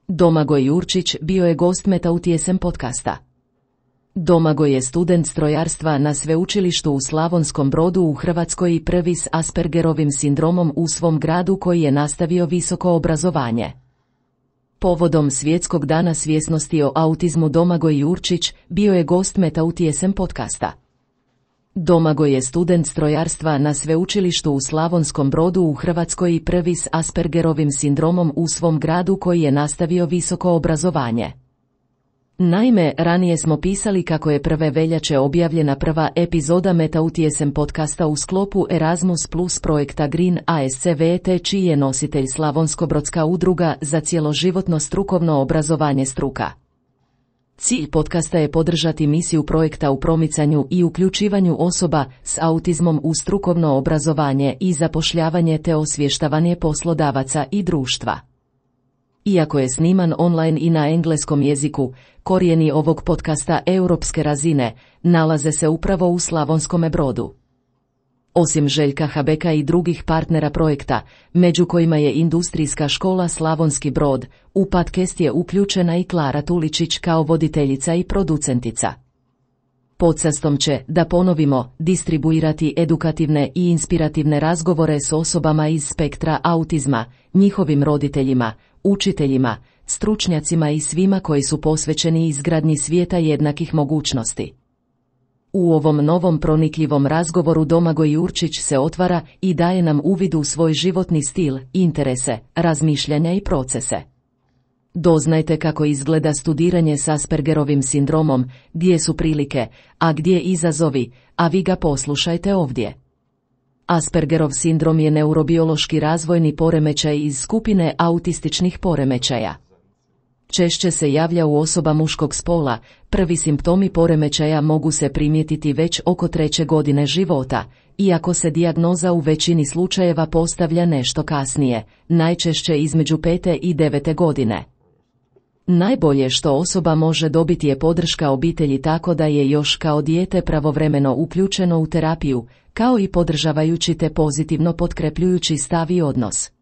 Domagoj Jurčić bio je gost Metautjesem podcasta. Domagoj je student strojarstva na sveučilištu u Slavonskom Brodu u Hrvatskoj i prvi s Aspergerovim sindromom u svom gradu koji je nastavio visoko obrazovanje. Povodom Svjetskog dana svjesnosti o autizmu Domagoj Jurčić bio je gost Metautjesem podcasta. Domagoj je student strojarstva na sveučilištu u Slavonskom Brodu u Hrvatskoj i prvi s Aspergerovim sindromom u svom gradu koji je nastavio visoko obrazovanje. Naime, ranije smo pisali kako je 1. veljače objavljena prva epizoda Metautjesem podcasta u sklopu Erasmus Plus projekta Green ASCVT, čiji je nositelj Slavonskobrodska udruga za cjeloživotno strukovno obrazovanje Struka. Cilj podcasta je podržati misiju projekta u promicanju i uključivanju osoba s autizmom u strukovno obrazovanje i zapošljavanje te osvještavanje poslodavaca i društva. Iako je sniman online i na engleskom jeziku, korijeni ovog podcasta europske razine nalaze se upravo u Slavonskome Brodu. Osim Željka Habeka i drugih partnera projekta, među kojima je Industrijska škola Slavonski Brod, u podcast je uključena i Klara Tuličić kao voditeljica i producentica. Podcastom će, da ponovimo, distribuirati edukativne i inspirativne razgovore s osobama iz spektra autizma, njihovim roditeljima, učiteljima, stručnjacima i svima koji su posvećeni izgradnji svijeta jednakih mogućnosti. U ovom novom pronikljivom razgovoru Domagoj Jurčić se otvara i daje nam uvid u svoj životni stil, interese, razmišljanja i procese. Doznajte kako izgleda studiranje s Aspergerovim sindromom, gdje su prilike, a gdje izazovi, a vi ga poslušajte ovdje. Aspergerov sindrom je neurobiološki razvojni poremećaj iz skupine autističnih poremećaja. Češće se javlja u osoba muškog spola, prvi simptomi poremećaja mogu se primijetiti već oko 3. godine života, iako se dijagnoza u većini slučajeva postavlja nešto kasnije, najčešće između 5. i 9. godine. Najbolje što osoba može dobiti je podrška obitelji tako da je još kao dijete pravovremeno uključeno u terapiju, kao i podržavajući te pozitivno potkrepljujući stav i odnos.